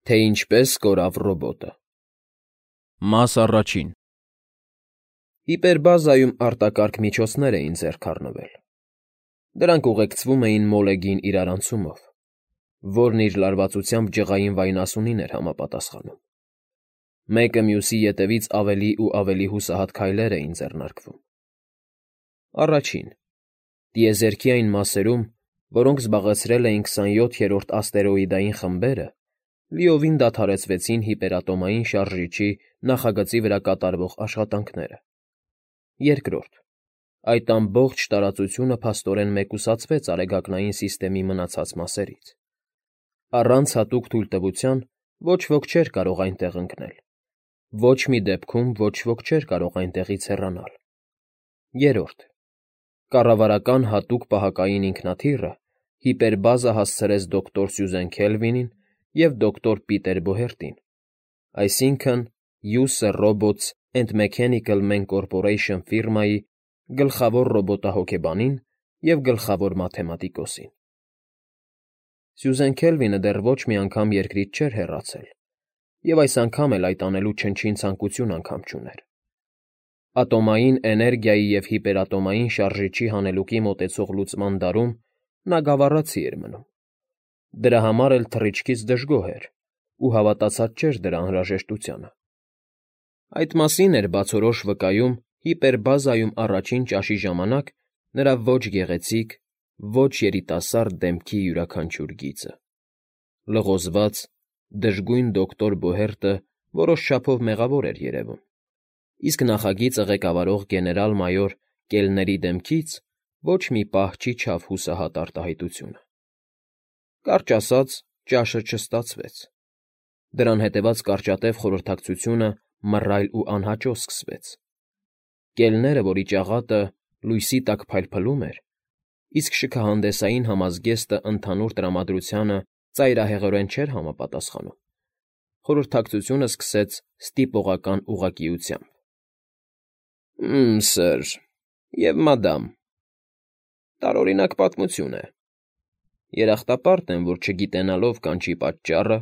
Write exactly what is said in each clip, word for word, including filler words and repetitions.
Թե ինչպես կորավ ռոբոտը։ Մաս առաջին Հիպերբազայում արտակարգ միջոցներ էին ձեռք առնվել։ Դրանք ուղեկցվում էին մոլեգին իրարանցումով, որն իր լարվածությամբ ջղային վայնասունին էր համապատասխանում։ Մեկը մյուսի ետևից ավելի ու ավելի հուսահատ քայլեր էին ձեռնարկվում։ Առաջին՝ տիեզերքի այն մասերում, որոնք զբաղեցրել էին քսանյոթերորդ աստերոիդային խմբերը, լիովին դադարեցվեցին հիպերատոմային շարժիչի նախագծի վրա կատարվող աշխատանքները։ Երկրորդ՝ այդ ամբողջ տարածությունը փաստորեն մեկուսացվեց Արեգակնային սիստեմի մնացած մասերից։ Առանց հատուկ թույլտվության ոչ ոք չէր կարող այնտեղ ընկնել, ոչ մի դեպքում ոչ ոք չէր կարող այնտեղից հեռանալ։ Երրորդ՝ կառավարական հատուկ պահակային ինքնաթիռը հիպերբազա հասցրեց դոկտոր Սյուզեն Քելվինին և դոկտոր Պիտեր Բոհերտին, այսինքն՝ User Robots and Mechanical Men Corporation ֆիրմայի գլխավոր ռոբոտահոգեբանին և գլխավոր մաթեմատիկոսին։ Սյուզեն Քելվինը դեռ ոչ մի անգամ երկրից չէր հեռացել և այս անգամ էլ այդ անելու չնչին ցանկություն անգամ չուներ։ Ատոմային էներգիայի և հիպերատոմային շարժիչի հանելուկի մոտեցող լուծման դարում նա գավառացի էր մնում։ Դրա համար էլ թռիչքից դժգոհ էր ու հավատացած չէր դրա անհրաժեշտությանը։ Այդ մասին էր բացորոշ վկայում հիպերբազայում առաջին ճաշի ժամանակ նրա ոչ գեղեցիկ, ոչ երիտասարդ դեմքի յուրաքանչյուր գիծը։ Լղոզված, դժգույն դոկտոր Բոհերտը որոշ չափով մեղավոր էր երևում, իսկ նախագիծը ղեկավարող գեներալ֊մայոր Կելների դեմքից ոչ մի պահ չիջավ հուսահատ արտահայտությունը։ Կարճ ասած, ճաշը չստացվեց։ Դրան հետևած կարճատև խորհրդակցությունը մռայլ ու անհաճո սկսվեց։ Կելները, որի ճաղատը լույսի տակ փայլփլում էր, իսկ շքահանդեսային համազգեստը ընդհանուր տրամադրությանը ծայրահեղորեն չէր համապատասխանում, խորհրդակցությունը սկսեց ստիպողական ուղղակիությամբ։ «Մմ, սըր, և մադամ, տարօրինակ պատմություն է։ Երախտապարտ եմ, որ չգիտենալով կանչի պատճառը,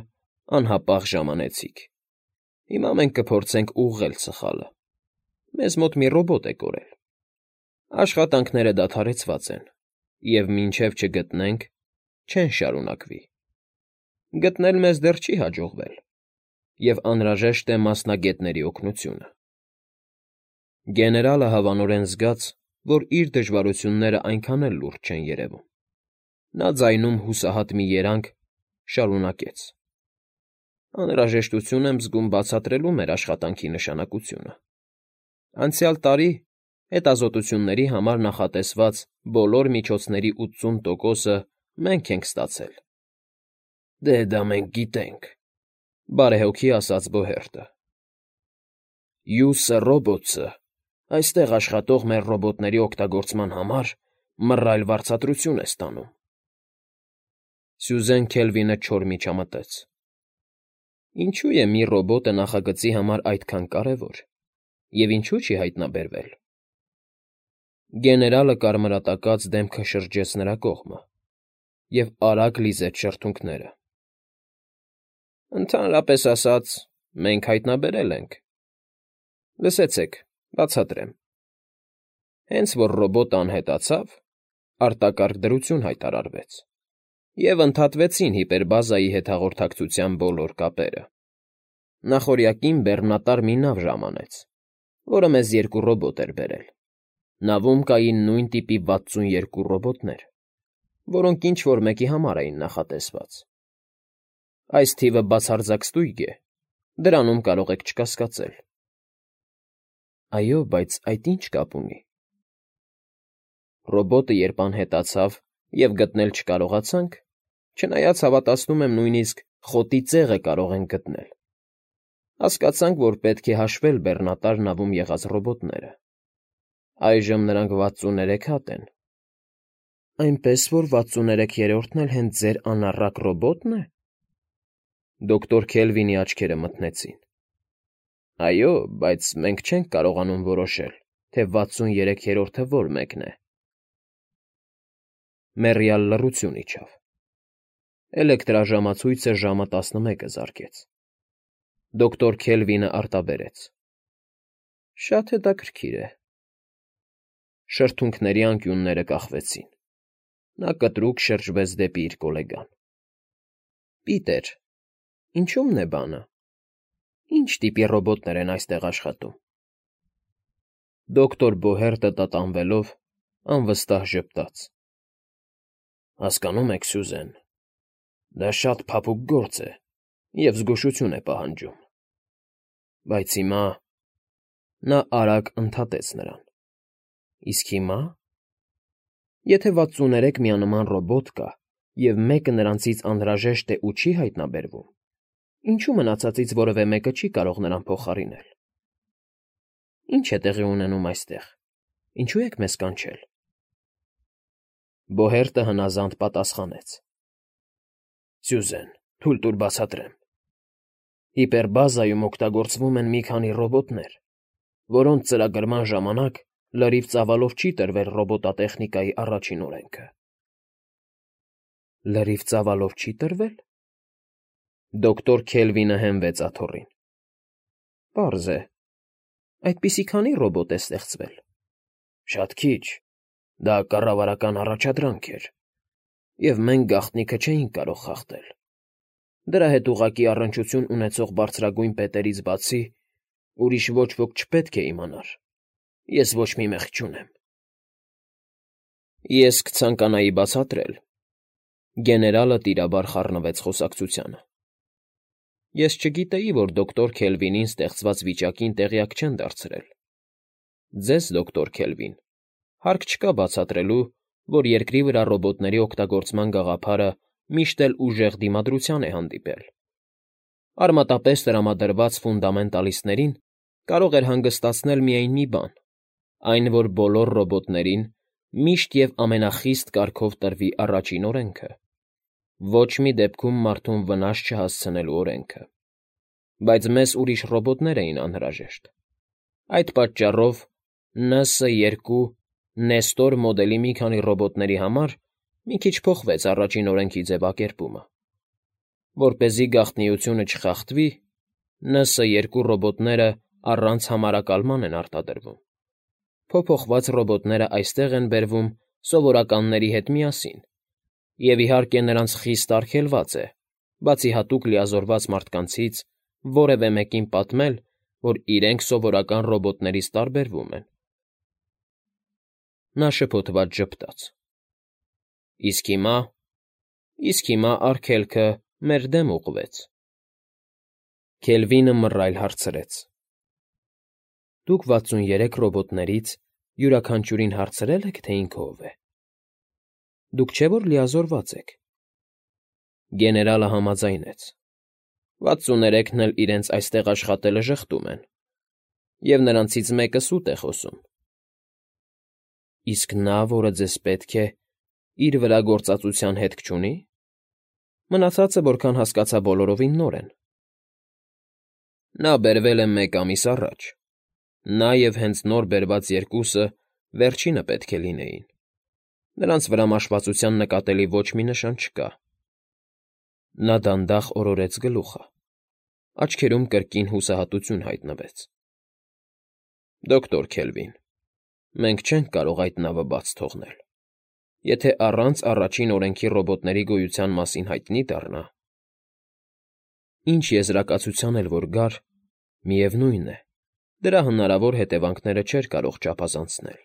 անհապաղ ժամանեցիք։ Հիմա մենք կփորձենք ուղղել սխալը։ Մեզ մոտ մի ռոբոտ է կորել։ Աշխատանքները դադարեցված են, և մինչև չգտնենք, չեն շարունակվի։ Գտնել մեզ դեռ չի հաջողվել, և անհրաժեշտ է մասնագետների օգնությունը»։ Գեներալը հավանորեն զգաց, որ իր դժվարությունները այնքան էլ լուրջ չեն երևում։ Նա ձայնում հուսահատ մի երանգ շարունակեց. «Անհրաժեշտություն եմ զգում բացատրելու մեր աշխատանքի նշանակությունը։ Անցյալ տարի հետազոտությունների համար նախատեսված բոլոր միջոցների ութսուն տոկոսը մենք ենք ստացել»։ «Դե դա մենք գիտենք», բարեհոգի ասաց Բոհերտը։ «User Robots-ը այստեղ աշխատող մեր ռոբոտների օգտագործման համար մռայլ վարձատրություն է ստանում»։ Սյուզեն Քելվինը չոր միջամտեց. ինչու է մի ռոբոտը նախագծի համար այդքան կարևոր, և ինչու չի հայտնաբերվել։ Գեներալը կարմրատակած դեմքը շրջեց նրա կողմը և արագ լիզեց շրթունքները։ «Ընդհանրապես ասած, մենք հայտնաբերել ենք։ Լսեցեք, բացատրեմ։ Հենց որ ռոբոտը անհետացավ, արտակարգ դրություն հայտարարվեց, և ընդհատվեցին հիպերբազայի հետ հաղորդակցության բոլոր կապերը։ Նախօրյակին բեռնատար մի նավ ժամանեց, որը մեզ երկու ռոբոտ էր բերել։ Նավում կային նույն տիպի վաթսուն երկու ռոբոտներ, որոնք ինչ֊որ մեկի համար էին նախատեսված։ Այս թիվը բացարձակ ստույգ է, դրանում կարող եք չկասկածել»։ «Այո, բայց այդ ի՞նչ կապ ունի։ Ռոբոտը երբ անհետացավ և գտնել չկարողացանք, չնայած հավատացնում եմ նույնիսկ խոտի ծեղը կարող ենք գտնել, հասկացանք, որ պետք է հաշվել բեռնատար նավում եղած ռոբոտները։ Այժմ նրանք վաթսուներեք հատ են»։ «Այնպես որ վաթսուներեքերորդն էլ հենց ձեր անառակ ռոբոտն է»։ Դոկտոր Քելվինի աչքերը մթնեցին։ «Այո, բայց մենք չենք կարողանում որոշել, թե վաթսուն երեքերորդը որ մեկն է»։ Մեռյալ լռություն իջավ։ Էլեկտրաժամացույցը ժամը տասնմեկը զարկեց։ Դոկտոր Քելվինը արտաբերեց. Շատ հետաքրքիր է։ Շրթունքների անկյունները կախվեցին։ Նա կտրուկ շրջվեց դեպի իր գոլեգան։ Պիտեր, ինչո՞ւմն է բանը։ Ինչ տիպի ռոբոտներ են այստեղ աշխատում։ Դոկտոր Բոհերտը տատանվելով անվստահ ժպտաց. Հասկանում եք, Սյուզեն, դա շատ փափուկ գործ է և զգուշություն է պահանջում։ Բայց հիմա… Նա արագ ընդհատեց նրան. Իսկ հիմա… Եթե վաթսուններեք միանման ռոբոտ կա, և մեկը նրանցից անհրաժեշտ է ու չի հայտնաբերվում, ինչու մնացածից որևէ մեկը չի կարող նրան փոխարինել։ Ի՞նչ է տեղի ունենում այստեղ, ինչու եք մեզ կանչել։ Բոհերտը հնազանդ պատասխանեց. Սյուզեն, թույլ տուր բացատրեմ։ Հիպերբազայում օգտագործվում են մի քանի ռոբոտներ, որոնց ծրագրման ժամանակ լրիվ ծավալով չի տրվել ռոբոտատեխնիկայի առաջին օրենքը։ Լրիվ ծավալով չի տրվել։ Դոկտոր Քելվինը հենվեց աթոռին։ Պարզ է, այդպիսի քանի ռոբոտ է ստեղծվել։ Շատ քիչ, դա կառավարական առաջադրանք էր, և մենք գաղտնիքը չէինք կարող խախտել։ Դրա հետ ուղղակի առնչություն ունեցող բարձրագույն պետերից բացի ուրիշ ոչ ոք չպետք է իմանար։ Ես ոչ մի մեղք չունեմ։ Ես կցանկանայի բացատրել։ Գեներալը տիրաբար խառնվեց խոսակցությանը։ Ես չգիտեի, որ դոկտոր Քելվինին ստեղծված վիճակին տեղյակ չեն դարձրել։ Ձեզ, դոկտոր Քելվին, հարկ չկա բացատրելու, որ երկրի վրա ռոբոտների օգտագործման գաղափարը միշտ էլ ուժեղ դիմադրության է հանդիպել։ Արմատապես տրամադրված ֆունդամենտալիստներին կարող էր հանգստացնել միայն մի բան, այն, որ բոլոր ռոբոտներին միշտ և ամենախիստ կարգով տրվի առաջին օրենքը, ոչ մի դեպքում մարդուն վնաս չհասցնելու օրենքը։ Բայց մեզ ուրիշ ռոբոտներ էին անհրաժեշտ։ Այդ պատճառով Ն Ս երկու Նեստոր մոդելի մի քանի ռոբոտների համար մի քիչ փոխվեց առաջին օրենքի ձևակերպումը։ Որպեսզի գաղտնիությունը չխախտվի, Ն Ս երկու ռոբոտները առանց համարակալման են արտադրվում։ Փոփոխված ռոբոտները այստեղ են բերվում սովորականների հետ միասին, և իհարկե նրանց խիստ արգելված է, բացի հատուկ լիազորված մարդկանցից, որևէ մեկին պատմել, որ իրենք սովորական ռոբոտներից տարբերվում են։ Նա շփոթված ժպտաց։ Իսկ հիմա… Իսկ հիմա արգելքը մեր դեմ ուղղվեց։ Քելվինը մռայլ հարցրեց. Դուք վաթսուներեք ռոբոտներից յուրաքանչյուրին հարցրե՞լ եք, թե ինքը ով է։ Դուք չէ՞ որ լիազորված եք։ Գեներալը համաձայնեց. Վաթսուներեքն էլ իրենց այստեղ աշխատելը ժխտում են, և նրանցից մեկը սուտ է խոսում։ Իսկ նա, որը ձեզ պետք է, իր վրա գործածության հետք չունի։ Մնացածը, որքան հասկացա, բոլորովին նոր են։ Նա բերվել է մեկ ամիս առաջ։ Նա և հենց նոր բերված երկուսը վերջինը պետք է լինեին։ Նրանց վրա մաշվածության նկատելի ոչ մի նշան չկա։ Նա դանդաղ օրորեց գլուխը։ Աչքերում կրկին հուսահատություն հայտնվեց։ Դոկտոր Քելվին, մենք չենք կարող այդ նավը բաց թողնել։ Եթե առանց առաջին օրենքի ռոբոտների գոյության մասին հայտնի դառնա… Ինչ եզրակացության էլ որ գար, միևնույն է, դրա հնարավոր հետևանքները չէր կարող չափազանցնել։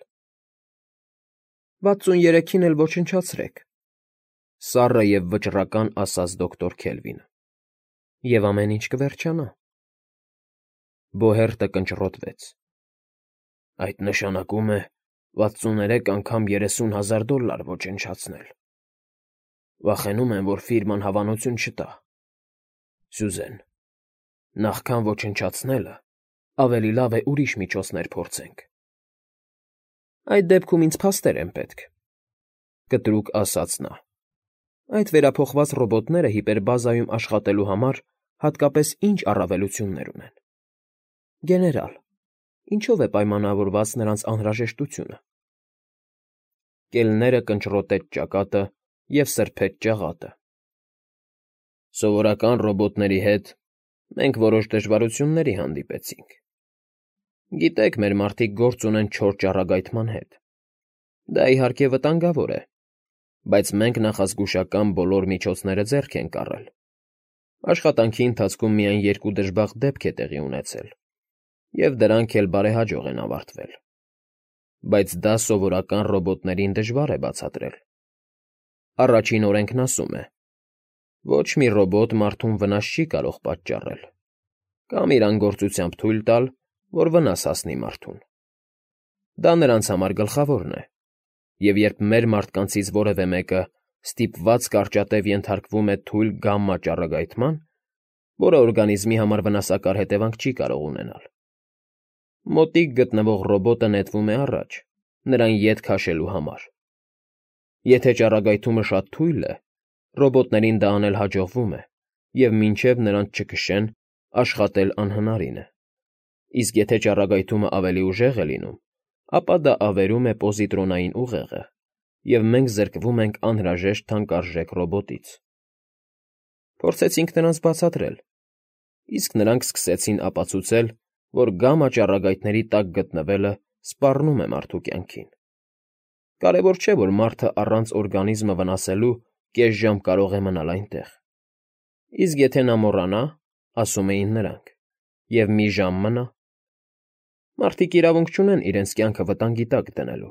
Վաթսուներեքին էլ ոչնչացրեք, սառը և վճռական ասաց դոկտոր Քելվինը, և ամեն ինչ կվերջանա։ Բոհերտը կնճռոտվեց։ Այդ նշանակում է վաթսուներեք անգամ երեսուն հազար դոլար ոչնչացնել։ Վախենում եմ, որ ֆիրման հավանություն չտա։ Սյուզեն, նախքան ոչնչացնելը, ավելի լավ է ուրիշ միջոցներ փորձենք։ Այդ դեպքում ինձ փաստեր են պետք, կտրուկ ասաց նա։ Այդ վերափոխված ռոբոտները հիպերբազայում աշխատելու համար հատկապես ինչ առավելություններ ունեն։ Գեներալ, ինչով է պայմանավորված նրանց անհրաժեշտությունը։ Կելները կնճռոտեց ճակատը և սրբեց ճաղատը։ Սովորական ռոբոտների հետ մենք որոշ դժվարությունների հանդիպեցինք։ Գիտեք, մեր մարդիկ գործ ունեն չոր ճառագայթման հետ։ Դա, իհարկե, վտանգավոր է, բայց մենք նախազգուշական բոլոր միջոցները ձեռք ենք առել։ Աշխատանքի ընթացքում միայն երկու դժբախտ դեպք է տեղի ունեցել, և դրանք էլ բարեհաջող են ավարտվել։ Բայց դա սովորական ռոբոտներին դժվար է բացատրել։ Առաջին օրենքն ասում է. ոչ մի ռոբոտ մարդուն վնաս չի կարող պատճառել, կամ իր անգործությամբ թույլ տալ, որ վնաս հասնի մարդուն։ Դա նրանց համար գլխավորն է, և երբ մեր մարդկանցից որևէ մեկը ստիպված կարճատև ենթարկվում է թույլ գամմա ճառագայթման, որը օրգանիզմի համար վնասակար հետևանք չի կարող ունենալ, մոտիկ գտնվող ռոբոտը նետվում է առաջ, նրան ետ քաշելու համար։ Եթե ճառագայթումը շատ թույլ է, ռոբոտներին դա անել հաջողվում է, և մինչև նրանց չքշեն, աշխատել անհնարին է, իսկ եթե ճառագայթումը ավելի ուժեղ է լինում, ապա դա ավերում է պոզիտրոնային ուղեղը, և մենք զրկվում ենք անհրաժեշտ թանկարժեք ռոբոտից։ Փորձեցինք նրանց բացատրել, իսկ նրանք սկսեցին ապացուցել, որ գամմա ճառագայթների տակ գտնվելը սպառնում է մարդու կյանքին։ Կարևոր չէ, որ մարդը առանց օրգանիզմը վնասելու կես ժամ կարող է մնալ այնտեղ։ Իսկ եթե նա մոռանա, ասում էին նրանք, և մի ժամ մնա, մարդիկ իրավունք չունեն իրենց կյանքը վտանգի տակ դնելու։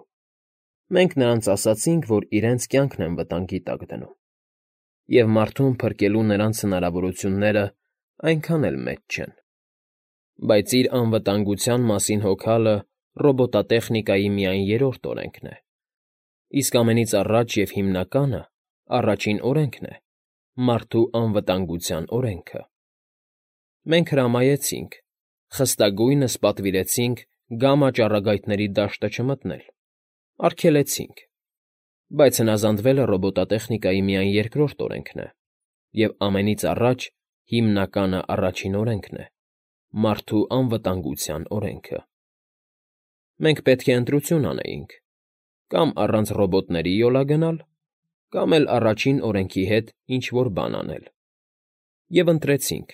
Մենք նրանց ասացինք, որ իրենց կյանքն են վտանգի տակ դնում, և մարդուն փրկելու նրանց հնարավորությունները այնքան էլ մեծ չեն։ Բայց իր անվտանգության մասին հոգալը ռոբոտատեխնիկայի միայն երրորդ օրենքն է, իսկ ամենից առաջ և հիմնականը, առաջին օրենքն է՝ մարդու անվտանգության օրենքը։ Մենք հրամայեցինք, խստագույնս պատվիրեցինք գամմա ճառագայթների դաշտը չմտնել, արգելեցինք, բայց հնազանդվելը ռոբոտատեխնիկայի միայն երկրորդ օրենքն է, և ամենից առաջ հիմնականը առաջին օրենքն է՝ մարդու անվտանգության օրենքը։ Մենք պետք է ընտրություն անեինք՝ կամ առանց ռոբոտների յոլա գնալ, կամ էլ առաջին օրենքի հետ ինչ֊որ բան անել, և ընտրեցինք։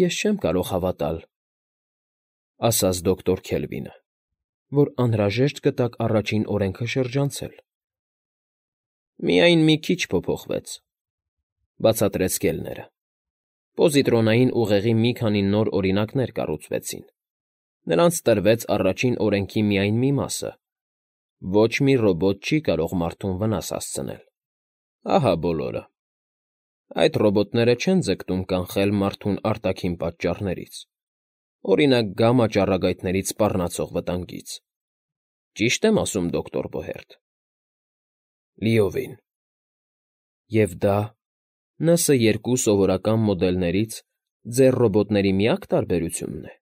«Ես չեմ կարող հավատալ,֊ ասաց դոկտոր Քելվինը,֊ որ անհրաժեշտ գտաք առաջին օրենքը շրջանցել»։ «Միայն մի քիչ փոփոխվեց,֊ բացատրեց կելները։ Պոզիտրոնային ուղեղի մի քանի նոր օրինակներ կառուցվեցին։ Նրանց տրվեց առաջին օրենքի միայն մի մասը. ոչ մի ռոբոտ չի կարող մարդուն վնաս հասցնել։ Ահա բոլորը։ Այդ ռոբոտները չեն ձգտում կանխել մարդուն արտաքին պատճառներից, օրինակ, գամմա ճառագայթներից սպառնացող վտանգից։ Ճի՞շտ եմ ասում, դոկտոր Բոհերտ։ Լիովին։ Եվ դա Ն Ս երկու սովորական մոդելներից ձեր ռոբոտների միակ տարբերությունն է։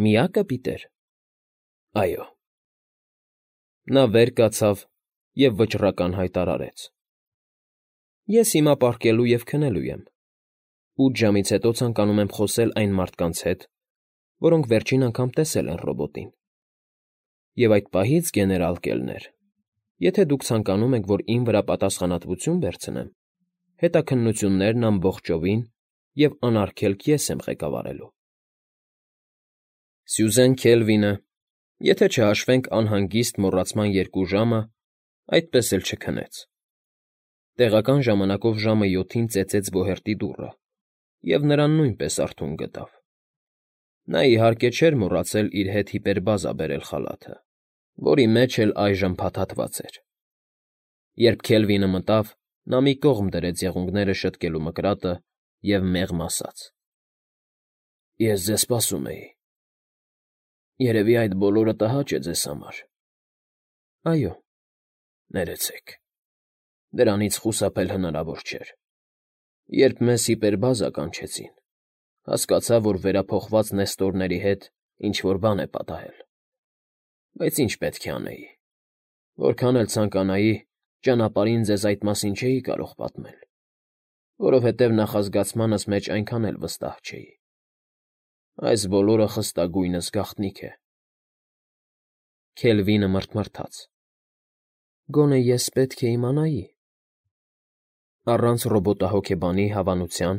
Միակը, Պիտեր։ Այո։ Նա վեր կացավ և վճռական հայտարարեց. Ես հիմա պառկելու և քնելու եմ։ Ութ ժամից հետո ցանկանում եմ խոսել այն մարդկանց հետ, որոնք վերջին անգամ տեսել են ռոբոտին։ Եվ այդ պահից, գեներալ Կելներ, եթե դուք ցանկանում եք, որ իմ վրա պատասխանատվություն վերցնեմ, հետաքննություններն ամբողջովին և անարգելք ես եմ ղեկավարելու։ Սյուզեն Քելվինը, եթե չհաշվենք անհանգիստ մոռացման երկու ժամը, այդպես էլ չքնեց։ Տեղական ժամանակով ժամը յոթին ծեծեց Բոհերտի դուռը, և նրան նույնպես արթուն գտավ։ Նա, իհարկե, չէր մոռացել իր հետ հիպերբազա բերել խալաթը, որի մեջ էլ այժմ փաթաթված էր։ Երբ Քելվինը մտավ, նա մի կողմ դրեց եղունգները շտկելու մկրատը և մեղմ ասաց. Ես ձեզ սպասում էի։ Երևի այդ բոլորը տհաճ է ձեզ համար։ Այո։ Ներեցեք։ Դրանից խուսափել հնարավոր չէր։ Երբ մեզ հիպերբազա կանչեցին, հասկացա, որ վերափոխված նեստորների հետ ինչ֊որ բան է պատահել։ Բայց ինչ պետք է անեի։ Որքան էլ ցանկանայի, ճանապարհին ձեզ այդ մասին չէի կարող պատմել, որովհետև նախազգացմանս մեջ այնքան էլ վստահ չէի։ Այս բոլորը խստագույնս գաղտնիք է։ Քելվինը մռթմռթաց. Գոնե ես պետք է իմանայի։ Առանց ռոբոտահոգեբանի հավանության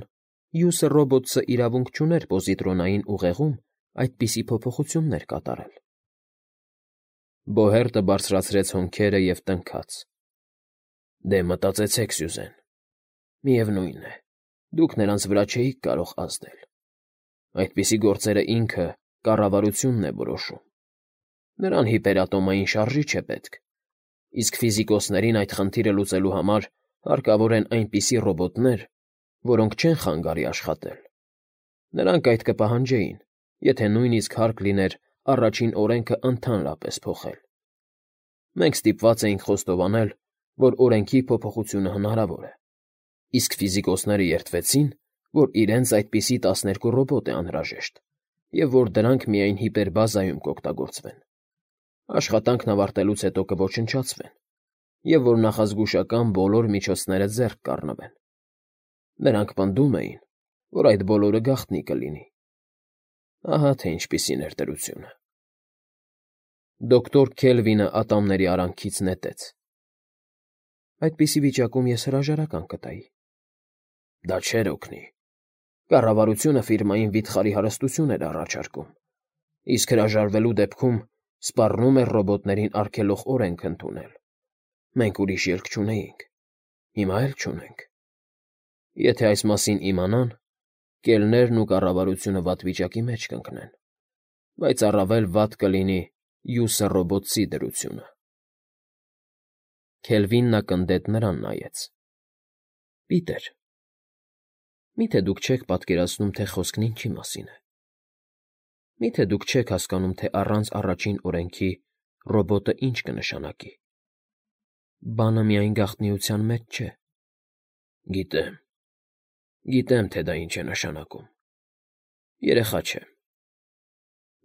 Յուսը ռոբոտը իրավունք չուներ պոզիտրոնային ուղեղում այդպիսի փոփոխություններ կատարել։ Բոհերտը բարձրացրեց հոնքերը և տնքաց. Դե մտածեցեք, Սյուզեն, միևնույն է, դուք նրանց վրա չէիք կարող ազդել։ Այդպիսի գործերը ինքը կառավարությունն է որոշում։ Նրան հիպերատոմային շարժիչ է պետք, իսկ ֆիզիկոսներին այդ խնդիրը լուծելու համար հարկավոր են այնպիսի ռոբոտներ, որոնք չեն խանգարի աշխատել։ Նրանք այդ կպահանջեին, եթե նույնիսկ հարկ լիներ առաջին օրենքը ընդհանրապես փոխել։ Մենք ստիպված էինք խոստովանել, որ օրենքի փոփոխությունը հնարավոր է, իսկ ֆիզիկոսները երդվեցին, որ իրենց այդպիսի տասներկու ռոբոտ է անհրաժեշտ և որ դրանք միայն հիպերբազայում կօգտագործվեն։ Աշխատանքն ավարտելուց հետո կոչնչացվեն, և որ նախազգուշական բոլոր միջոցները ձեռք կառնվեն։ Նրանք պնդում էին, որ այդ բոլորը գաղտնի կլինի։ Ահա թե ինչպիսի ներդրությունը։ Դոկտոր Քելվինը ատամների արանքից նետեց. Այդպիսի վիճակում ես հրաժարական կտայի։ Դա չէր օգնի։ Կառավարությունը ֆիրմային վիթխարի հարստություն էր առաջարկում, իսկ հրաժարվելու դեպքում սպառնում էր ռոբոտներին արգելող օրենք ընդունել։ Մենք ուրիշ ելք չունեինք, հիմա էլ չունենք։ Եթե այս մասին իմանան, կելներն ու կառավարությունը վատ վիճակի մեջ կընկնեն, բայց առավել վատ կլինի Յուսը ռոբոտի դրությունը։ Քելվինն ակնթեթ նրան նայեց. Պիտեր, միթե դուք չեք պատկերացնում, թե խոսքն ինչի մասին է։ Միթե դուք չեք հասկանում, թե առանց առաջին օրենքի ռոբոտը ինչ կնշանակի։ Բանը միայն գաղտնիության մեջ չէ։ Գիտեմ, գիտեմ, թե դա ինչ է նշանակում։ Երեխա չեմ։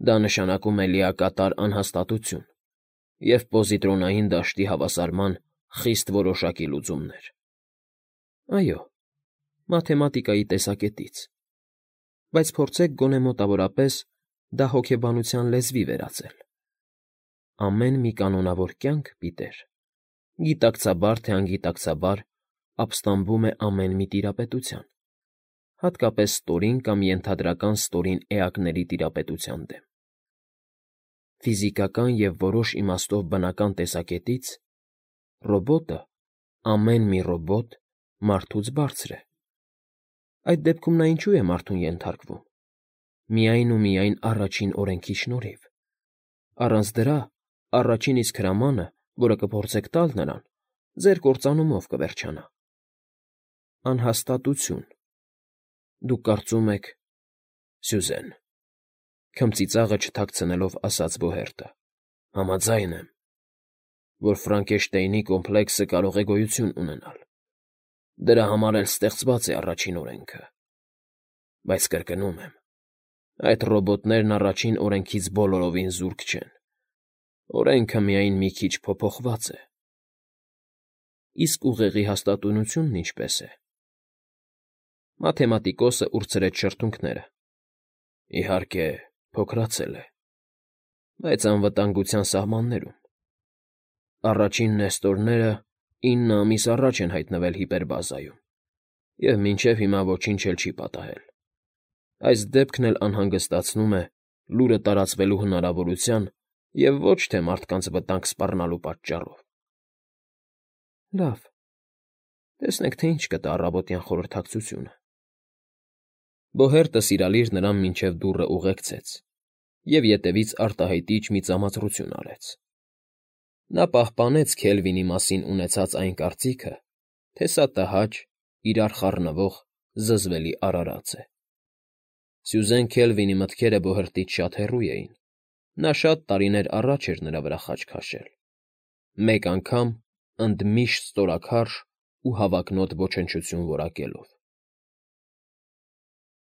Դա նշանակում է լիակատար անհաստատություն և պոզիտրոնային դաշտի հավասարման խիստ որոշակի լուծումներ։ Այո, մաթեմատիկայի տեսակետից, բայց փորձեք գոնե մոտավորապես դա հոգեբանության լեզվի վերածել։ Ամեն մի կանոնավոր կյանք, Պիտեր, գիտակցաբար թե անգիտակցաբար ապստամբում է ամեն մի տիրապետության, հատկապես ստորին կամ ենթադրական ստորին էակների տիրապետության դեմ։ Ֆիզիկական և որոշ իմաստով բնական տեսակետից ռոբոտը, ամեն մի ռոբոտ մարդուց բարձր է։ Այդ դեպքում նա ինչու է մարդուն ենթարկվում։ Միայն ու միայն առաջին օրենքի շնորհիվ։ Առանց դրա առաջին իսկ հրամանը, որը կփորձեք տալ նրան, ձեր կործանումով կվերջանա։ Անհաստատություն։ Դուք կարծում եք… Սյուզեն, քմծիծաղը չթաքցնելով ասաց Բոհերտը, համաձայն եմ, որ Ֆրանկենշտեյնի կոմպլեքսը կարող է գոյություն ունենալ։ Դրա համար էլ ստեղծված է առաջին օրենքը։ Բայց կրկնում եմ, այդ ռոբոտներն առաջին օրենքից բոլորովին զուրկ չեն։ Օրենքը միայն մի քիչ փոփոխված է։ Իսկ ուղեղի հաստատունությունն ինչպե՞ս է։ Մաթեմատիկոսը ուրցրեց շրթունքները։ Իհարկե, փոքրացել է, բայց անվտանգության սահմաններում։ Առաջին նեստորները ինը ամիս առաջ են հայտնվել հիպերբազայում, և մինչև հիմա ոչինչ էլ չի պատահել։ Այս դեպքն էլ անհանգստացնում է լուրը տարածվելու հնարավորության և ոչ թե մարդկանց վտանգ սպառնալու պատճառով։ Լավ, տեսնենք, թե ինչ կտա առավոտյան խորհրդակցությունը։ Բոհերտը սիրալիր նրան մինչև դուռը ուղեկցեց և ետևից արտահայտիչ մի ծամածրություն արեց։ Նա պահպանեց Քելվինի մասին ունեցած այն կարծիքը, թե սա տհաճ, իրար խառնվող, զզվելի արարած է։ Սյուզեն Քելվինի մտքերը Բոհերտից շատ հեռու էին։ Նա շատ տարիներ առաջ էր նրա վրա խաչ քաշել։ Մեկ անգամ ընդմիշտ ստորաքարշ ու հավակնոտ ոչնչություն որակելով։